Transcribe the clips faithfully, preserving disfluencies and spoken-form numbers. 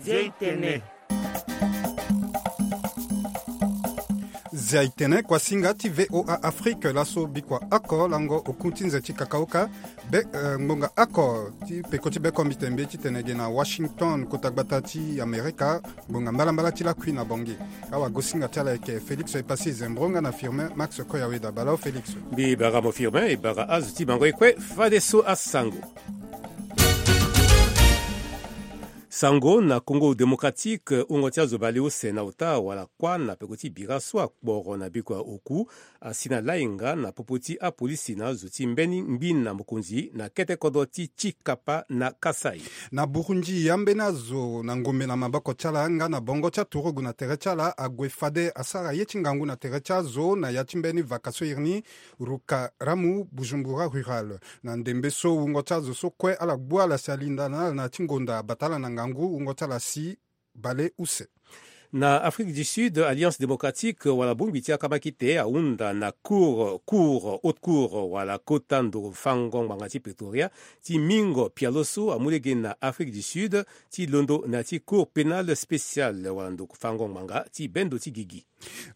Zia itene. Zia itene kuasinga ti VOA Afrique laso bikua oko lango oku ti nze ti kakaoka. Be eh, ngbonga oko ti peko ti bekombite mbi titene ge na Washington kota gbata ti Amerika. Ngbonga mbalambala ti lakui na Bangui. Awagosinga ti ala eke Félix Epassi Zembro nga na Firmin Max Koyaweda. Bala o Félix. Mbi bara mo Firmin e bara azo ti bango e kue fadeso asango. Sango na Congo Démocratique, wungo ti azo baleuse na ota wala kuâ na peko ti bira so akporo na bikua oku asi na lainga na popo ti apolisi na azo ti mbeni ngbi na mokonzi na kete kodro ti Tshikapa na Kasaï. Na Burundi, ambeni azo na ngombe na maboko ti ala nga na bongo ti aturugu na tere ti ala ague fade asara ye ti ngangu na tere ti azo na ya ti mbeni vaka so iri ni Rukaramu, Bujumbura Rural. Na ndembe so wungo ti azo so kue ala gbu ala si alinda na ala na ya ti ngonda abata ala na ngangu, wungo ti ala si bale use. Na Afrique du Sud, Alliance Démocratique wala bongbi ti akamakite ahunda na cour, cour, haute cour wala kota ndo fango ngbanga ti Pretoria ti mingo pialo so amu lege na Afrique du Sud ti londo na ya ti cour pénale spéciale wala ndo fango ngbanga ti bendo ti gigi.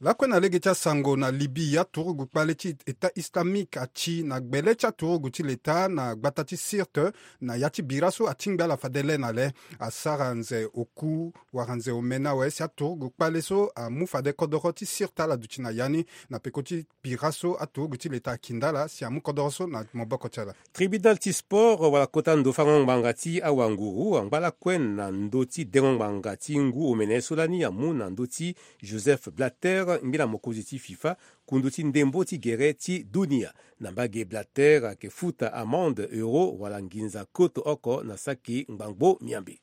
Lakue na lege ti asango na Libye, aturugu kpale ti État islamique ati na gbele ti aturugu ti leta na gbata ti Sirte na ya ti bira so atingbi ala fade le na le. Asara nze oku wara nze omene awe si aturugu kpale so amu fade kodoro ti Sirte ala duti na ya ni na peko ti bira so aturugu ti leta akinda ala si amu kodoro so na maboko ti ala. Tribunal ti sport wala kota ndo fango ngbanga ti awanguru angba lakue na ndö ti dengo ngbanga ti ngu omene so lani amu na ndö ti Joseph Blatter, ngbila mokonzi ti FIFA, kundu ti ndembo ti gere ti dunia. Na mbage Blatter ayeke futa amende euro wala nginza koto oko na saki ngbangbo miambe.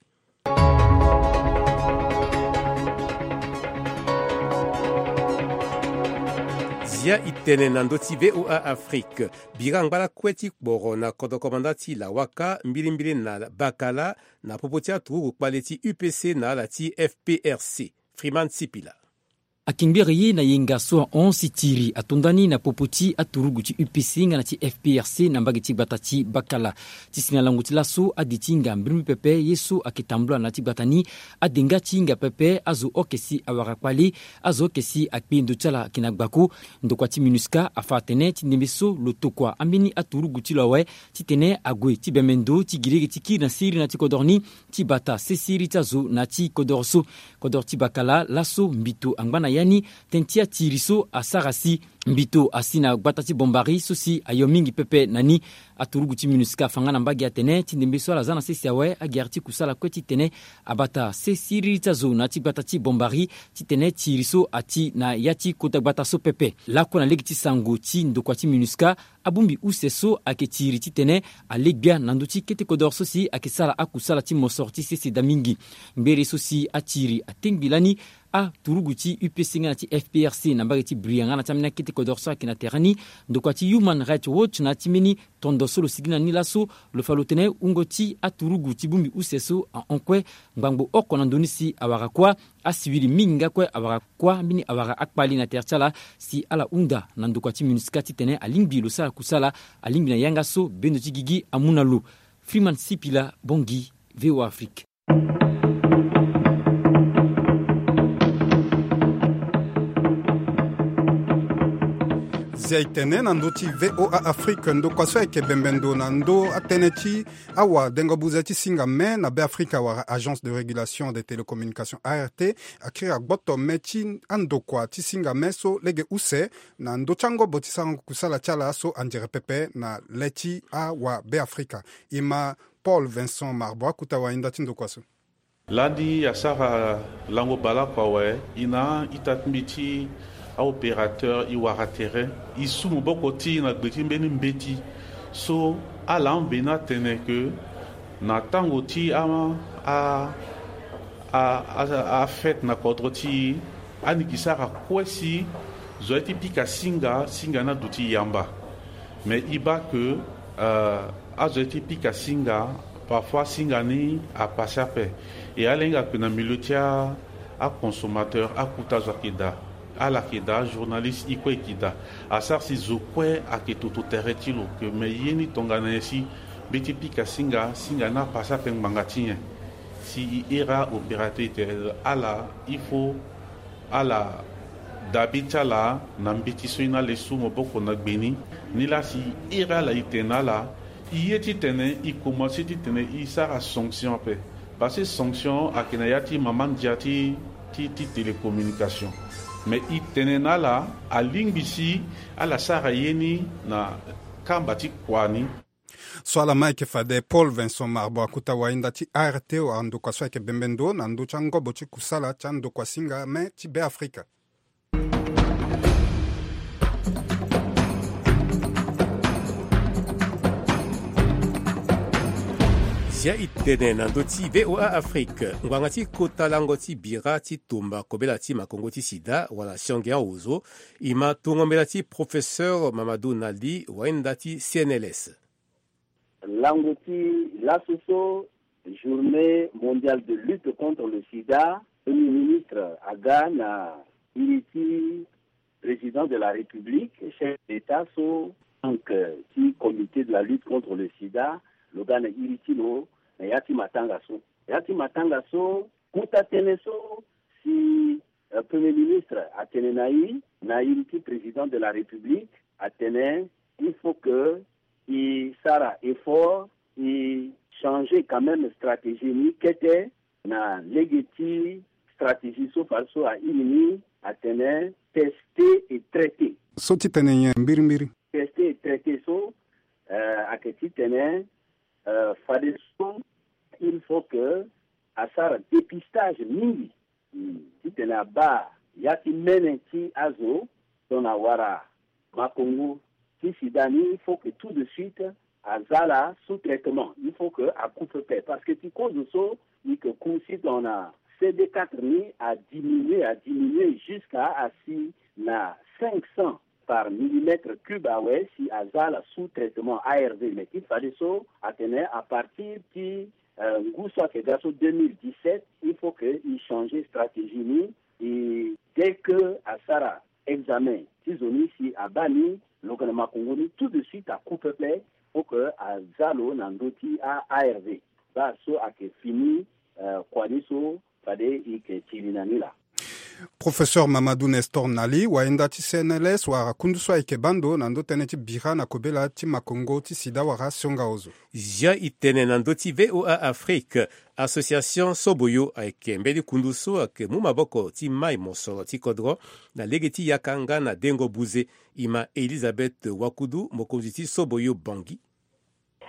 Zia itene na ndö ti VOA Afrique. Bira angba lakue ti kporo na kodro komanda ti Lawaka mbilimbili na Bakala na popo ti aturugu kpale ti U P C na ala ti F P R C. Freeman Sipila. Akengbi ere ye na yenga so ahon si tiri ato ndani na popo ti aturugu ti U P C nga na ti F P R C na mbage ti gbata ti Bakala. Ti si na lango ti laso adi ti hinga mbrimbri pepe ye so ayeke tambula na ya ti gbata ni. Ade nga ti hinga pepe azo oke si awara kpale, azo oke si akpe ndo ti ala ayeke na gbako. Ndokua ti MINUSCA afa atene ti ndembe so lo tokua ambeni aturugu ti lo awe titene ague ti bembe ndo ti gi lege ti kiri na siriri na ya ti kodoro ni ti bata sesiriri ti azo na ya ti kodoro so. Kodoro ti Bakala laso mbito angba na ya ni tënë ti atiri so asara si mbito asi na gbata ti Bombari so si ayo mingi pepe na ni. Aturugu ti MINUSCA afa nga na mbage atene ti ndembe so ala za na sese awe agere ti kusala kue titene abata sesiriri ti azo na ya ti gbata ti Bombari titene tiri so ati na ya ti kota gbata so pepe. Lakue na lege ti sango ti ndokua ti MINUSCA, abongbi use so ayeke tiri titene ale gbia na ndö ti kete kodoro so si ayeke sara akusala ti mosoro ti sese daa mingi. Ngbere so si atiri atengbi lani aturugu ti U P C nga na ti F P R C na mbage ti Bria nga na ti ambeni akete kodoro so ayeke na tere ni. Ndokua ti Human Rights Watch na ya ti mbeni tondo so lo sigi na ni laso lo fa lo tene wungo ti aturugu ti bongbi use so ahon kue ngbangbo oko na ndö ni si awara kuâ. Asiwili mingi nga kue awara kuâ mbeni awara akpali na tere ti ala si ala hunda na ndokua ti MINUSCA titene alingbi lo sara kusala, alingbi na yanga so bendo ti gigi amu na lo. Freeman Sipila, Bangui, VOA Afrique. Zia itene na ndö ti VOA Afrique, ndokua so ayeke bembe ndo na ndö atënë ti awadengo buze ti singa me na Beafrika wala Agence de Régulation des Télécommunications, A R T, akiri agboto me ti andokua ti singa me so lege use na ndö ti angobo ti sarango kusala ti ala so anzere pepe na le ti awa Beafrika. E ma Paul Vincent Marbo akuta wahinda ti ndokua so. Lani asara lango baleoko awe, e na a-ita ti mbi ti a-opérateur e wara tere, e su maboko ti e na gbe ti mbeni mbeti so ala amveni atene ke na tango ti a, a, a, a, afête na kodro ti e, ani ke sara kue si zo aye ti pika singa, singa ni aduti yamba. Mais e baa ke, euh, azo aye ti pika singa, parfois singa ni apase ape. E ala hinga ke na milieu ti a, aconsommateur, akuta zo ayeke daa. Ala yeke daa, ajournaliste, e kue e yeke daa. Asara si zo kue ayeke toto tere ti lo ke me ye ni tongana nyen si mbi ye ti pika singa, singa ni apase ape ngbanga ti nyen. Si i iri aopérateur i tene ala, il faut ala dabi ti ala na mbeti so i na le su maboko na gbe ni. Nilaa si i iri ala i tene na ala, i ye titene i komanse titene i sara sanction ape. Parce que sanction ayeke na ya ti mama ndia ti ti ti télécommunication. Mais i tene na ala, alingbi si ala sara ye ni na kamba ti kua ni. So ala ma ayeke fade Paul Vincent Marbo akuta wainda ti A R T wala ndokua so ayeke bembe ndo na ndö ti angobo ti kusala ti andokua singa me ti Beafrika. Zia i tene na ndö ti V O A Afrique, ngbanga ti kota lango ti bira ti tumba kobela ti makongo ti sida wala sionge aozo, i ma tungo mbela ti professeur Mamadou Nali, wainda ti C N L S. Lango ti laso so, journée mondiale de lutte contre le sida, premier ministre aga na iri ti président de la République, chef d'État so, donc, euh, ti comité de la lutte contre le sida, lo ga na iri ti lo na ya ti matanga so. Ya ti matanga so, kota tënë so si, euh, premier ministre atene na i, na iri ti président de la République, atene il faut que i sara effort, i changer quand même stratégie ni kete, na lege ti stratégie so fade so a iri ni atene tester et traiter. So ti tene nyen mbirimbiri? Tester et traiter so, euh, ayeke titene, euh, fade so il faut que asara dépistage mingi, hmm, titene abaa ya ti mene ti azo tongana awara makongo ti sida ni, il faut que tout de suite aza ala sous traitement, il faut que a coupe pe. Parce que ti kozo so i yeke ku si tongana C D quatre ni a diminuer, a diminuer jusqu'à asi na cinq cents par millimètre cube awe, si aza ala sous traitement A R V. Mais ti fadeso atene à partir ti, euh, ngu so ayeke ga so deux mille dix-sept, il faut que i changer stratégie ni. Et dès que asara examen ti zo ni, si abaa ni lo yeke na makongo ni, tout de suite a coupe pe, faut que aza lo na ndö ti a A R V. Baa so ayeke fini, euh, kua ni so fade i yeke tiri na ni laa. Professeur Mamadou Nestor Nali, wainda ti C N L S, wara kundu so ayeke baa ndo na ndö tënë ti bira na kobela ti makongo ti sida wala sionga ozo. Zia i tene na ndö ti V O A Afrique, association Soboyo ayeke mbeni kundu so ayeke mu maboko ti mai mosoro ti kodro na lege ti yaka nga na dengo buze. I ma Elisabeth Wakudu, mokonzi ti Soboyo Bangui.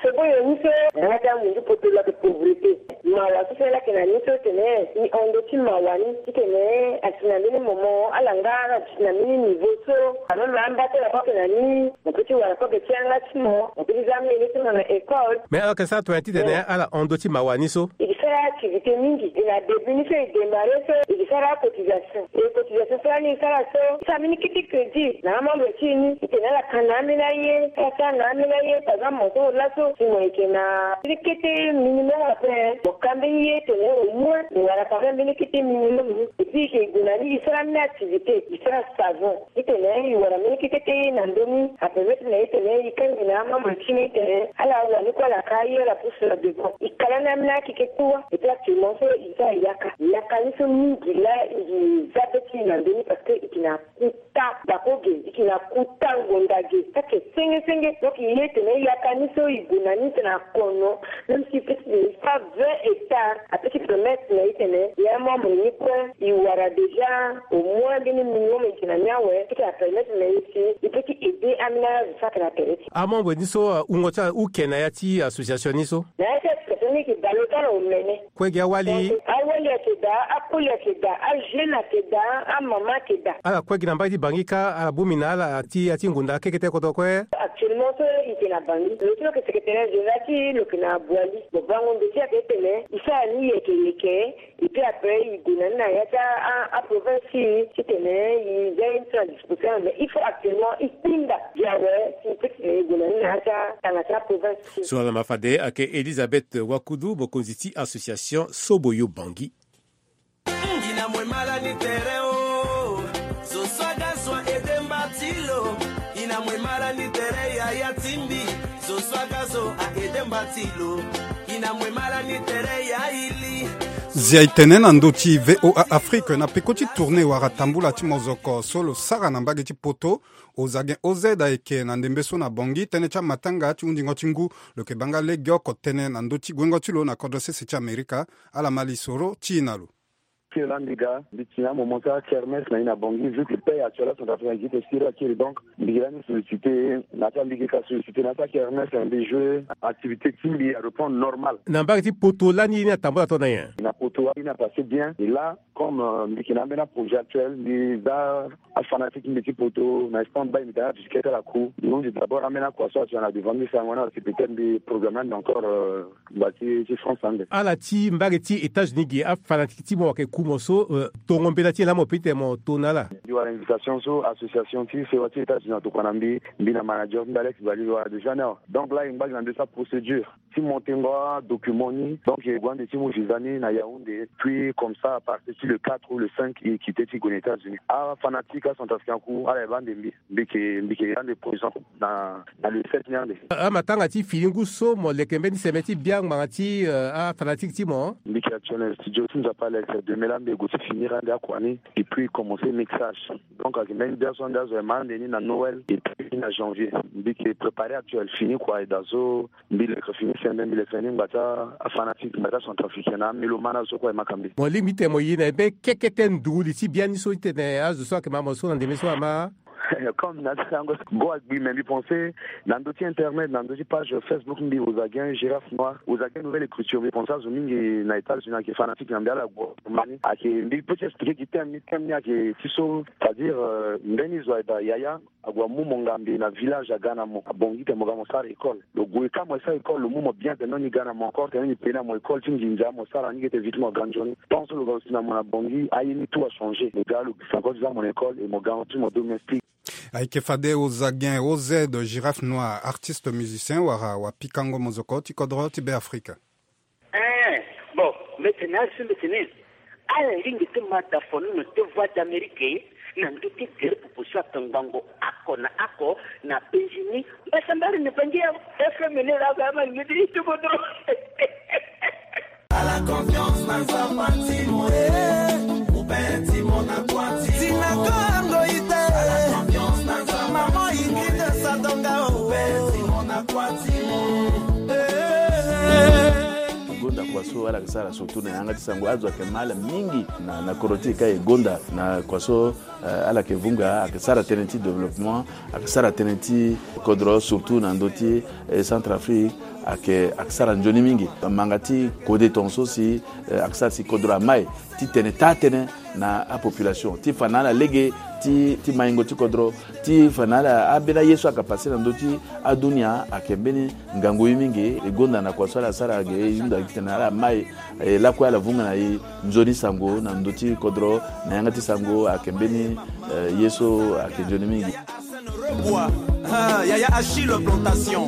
Soboyo ni so na ya ti amunzu poto lo ayeke pauvreté. Mawa so si ala yeke na ni so tene i hon ndö ti mawa ni titene asi na mbeni moment ala nga ala duti na mbeni niveau so ameme amba ti ala kue ayeke na ni. Mo peut ti wara kue ge ti yanga ti mo, mo peut ti za amenge ti mo na école. Mais ala yeke sara tonga titene ala hon ndö ti mawa ni so? I ke sara activité mingi. E na début ni so e démarrer so, e ke sara acotisation. E cotisation so lani e sara so, e sara mbeni kete crédit na amembre ti e ni, e tene ala ka na ambeni aye, ala sara na ambeni aye. Par exemple, mo so mo laso, si mo yeke na mbeni kete minimum après, mo ka mbeni ye tene au moins mo wara quand même mbeni kete minimum. Et puis e ke gue na ni e sara ambeni activité, e sara savon. Titene e wara mbeni kete kete ye na ndö ni, a permettre na e tene e kangbi na amembre ti ni tene ala wani kue ala ka aye ala pousse na devant. E ka lani ambeni akeke kua. Et puis actuellement so e sara yaka. Yaka ni so mingi laa e za be ti e na ndö ni parce que e yeke na kuta bako ge, e yeke na kuta ngonda ge. Saki senge senge. Donc e ye tene yaka ni so e gue na ni tene akono, même si e peut ti tene e sara vingt hectares, a peut ti permettre na e tene e amembre ni kue e wara déjà au moins mbeni minimum e yeke na ni awe, peut ti apermettre na e si e peut ti aider ambeni azo so ayeke na tere ti e. Amembre ni so, uh, wungo ti ala hu ke na ya ti association ni so? Na ya ti association ni e yeke bale ti ala omene. Kue gi awali? Donc awali ayeke daa, akoli ayeke daa, ajeune ayeke daa, amama ayeke daa. Ala kue gi na mbage ti Bangui ka ala bongbi na ala ti ya ti ngonda kekete kodro kue? Actuellement so e yeke na Bangui. Lo so lo yeke secrétariat général ti e lo yeke na Boali. Mo bango ndo ti e ayeke tene e sara ni yeke yeke. Et puis après e gue na ni na ya ti a, a, aprovince ti e titene e za ye ni so na disposition, mais il faut actuellement e tinda gi awe si e peut titene e gue na ni na ya ti atanga ti aprovince ti e. So ala ma fade ayeke Elisabeth Wakudu, mokonzi ti association Soboyo Bangui. Ina mwe mala ni tere o. Zo so aga zo aide mba ti lo. Ina mwe mala ni tere yaya ti mbi. Zia e tene na ndö ti VOA Afrique na peko ti tournée wala tambula ti mozoko so lo sara na mbage ti poto. Ozagen Ozed ayeke na ndembe so na Bangui tënë ti amatanga ti hundingo ti ngu. Lo yeke baa nga lege oko tënë na ndö ti guengo ti lo na kodro sese ti Amerika. Ala ma lisoro ti e na lo. Kiri laa mbi ga mbi tene amomo ti akermesse na e na Bangui, vu que paix actuelle acentrafrique ayeke ti siri akiri. Donc mbi yeke lani sollicité na ya ti alege ka sollicité na ya ti akermesse, mbi joué activité ti mbi areprendre normal. Na mbage ti poto lani ye ni atambula to na nyen? Na poto ye ni apassé bien. Et là, comme mbi yeke na ambeni aprojet actuel, mbi za afanatique ti mbi ti poto na stand by, mbi tene avisite ti ala ku. Mbi hunzi d'abord ambeni akua so atena na devant mbi, sango na si peut-être mbi programme lani encore. Ngba ti ti France ande. Ala ti mbage ti États-Unis gi afanatique ti mo wala ake ku mo so tongo mbela ti e laa mo peut ti tene mo to na ala? Mbi wara invitation so association ti sewa ti États-Unis atokua na mbi. Mbi na manager ti mbi Alex Bali, mbi wara déjà ni awa. Donc là e ngba gi na ndö ti aprocédure ti montengo adocument ni. Donc e gue ande ti mu visa ni na Yaoundé, puis comme ça à partir ti le quatre ou le cinq e quitté ti gue na États-Unis. Afanatique acentrafricain aku ala e baa ande mbi. Mbi yeke mbi yeke ande présent na na le sept ni ande. Amatanga ti fini ngu so mo leke mbeni seme ti bia ngbanga ti afanatique ti mo? Mbi yeke actuel na studio ti Nzapa Alex, demain laa mbi e gue ti finir ande akua ni et puis commencer mixage. Donc ayeke mbeni bia so ande azo e ma ande ni na Noël et puis na janvier. Mbi yeke préparer actuel fini kua e daa so. Mbi leke fini sembe, mbi leke fini ngba ti afanatique, ngba ti acentrafricain na amélomane azo so kue e ma ka mbi. Mo lingbi ti tene mo ye na e be kekete nduru li ti biani so ti tene azo so ayeke ma mo so na ndembe so ama? Comme na ti yango go agbi, mais mbi pensé na ndö ti internet, na ndö ti page Facebook mbi, Ozagen Girafe Noir, Ozagen Nouvelle Écriture, mbi pensé azo mingi na États-Unis ayeke fanatique na mbi, ala gue ma ni. Ayeke mbi peut ti expliquer gi thème ni, thème ni ayeke ti so, c'est-à-dire mbeni zo ayeke daa yaya ague amu mo ngambe na village aga na mo, abongbi ti tene mo ga mo sara école. Lo gue ka mo sara école, lo mu mo bien tene ni ga na mo encore, tene ni paye na mo école ti nginza, mo sara ni ge te vite mo ga nzoni. Tant so lo ga lo si na mo na Bangui, aye ni tout achangé. Lo ga lo gbi encore ti za mo na école et mo ga ti mo domestique. Ayeke fade Ozagen Ozed, Girafe Noir, artiste musicien wala wapikango mozoko ti kodro ti Beafrika. Ee, bon, mbi tene azo so mbi tene ala lingbi ti ma da fo nono ti Voix d'Amérique na ndö ti gere popo so atongbango oko na oko na penzi ni. Mbasambari na Bangui ya F M ni laa oko ama lingbi ti ti kodro. Ala confiance na Nzapa ti mo, ee, mubeti mo na kua ti mo. Ti na kongo ite. Ala confiance na Nzapa. Mama ingite sadonga o. Mubeti mo na kua ti mo. Ee. Gonda kua so ala yeke sara surtout na yanga ti sango, azo ayeke ma ala mingi na, na kodro ti e ka e gonda na kua so, eh, ala yeke vunga, ayeke sara tënë ti développement, ayeke sara tënë ti kodro, surtout na ndö ti, eh, Centrafrique, ayeke, ayeke sara nzoni mingi. Manga ti kode tongaso si, eh, ayeke sara si kodro amai ti tene taa tënë na apopulation ti fa na ala lege ti, ti maingo ti kodro, ti fa na ala ambeni aye so ayeke passe na ndö ti adunia, ayeke mbeni ngangu ye mingi. E gonda na kua so ala sara ge, e hunda gi tene ala mai, e lakue ala vunga na e nzoni sango na ndö ti kodro, na yanga ti sango ayeke mbeni, eh, ye so ayeke nzoni mingi. Rebwa, ah, yaya Achille Plantation,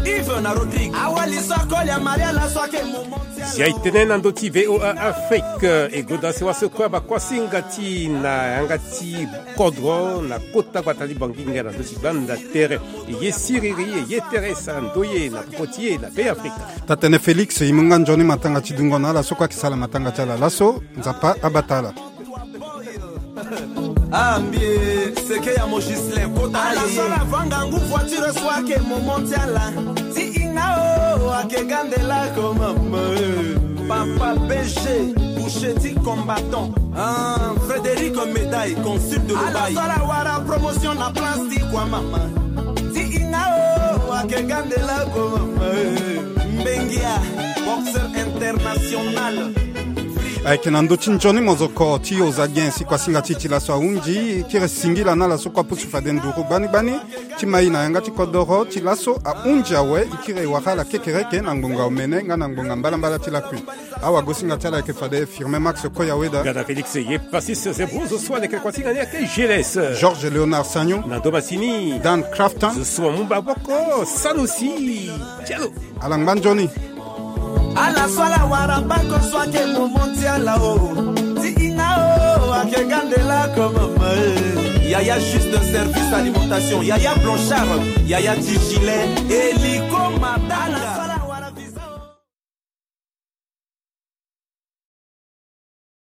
Yves na Rodrigue. Awali so akoli ya Maria laso ayeke moment ti ala. Zia e tene na ndö ti V O A Afrique, e gonda sewa so kue abakuasinga ti na yanga ti kodro na kota gbata ti Bangui nga na ndö ti gbanda tere. E ye siriri, e ye tere sara ndoye na popo ti e na Beafrika. Taa-tënë Félix, e mu nga nzoni matanga ti dungo na ala so kue ayeke sala matanga ti ala laso, Nzapa abata ala. Ah, mbi e seke ya mo Ghislain, kota ala ye. Ala so ala vanga ngu voiture so ayeke moment ti ala. Ti hinga o, ayeke ga nde lako mama, eh. Papa B G, boucher ti combattant. Ah, Frédéric Médaille, consul de Dubaï. Ala so ala wara promotion na place ti kua mama. Ti hinga o, ayeke ga nde lako mama, eh. Mbengia, boxeur international. Ayeke na ndö ti nzoni mozoko ti Ozagen si kuasinga ti e ti laso ahunzi, e kiri singila na ala so kue apusu fade nduru gbani gbani ti ma e na yanga ti kodoro. Ti laso ahunzi awe, e kiri e wara ala kekereke na ngbonga omene nga na ngbonga mbalambala ti lakui. Awagosinga ti ala ayeke fade Firmin Max Koyaweda. Nga na Félix Yepassis Zebro, zo so aleke kuasinga ni ayeke G L S. Georges Léonard Sagnon. Na ndo masini. Dan Crafton. Zo so amu maboko, Sanusi Diallo. Ala ngba nzoni. Ala so ala wara bako so ayeke moment ti ala o. Ti hinga o, ayeke Yaya juste service alimentation, yaya blanchard, yaya ti gilet, eliko matanga.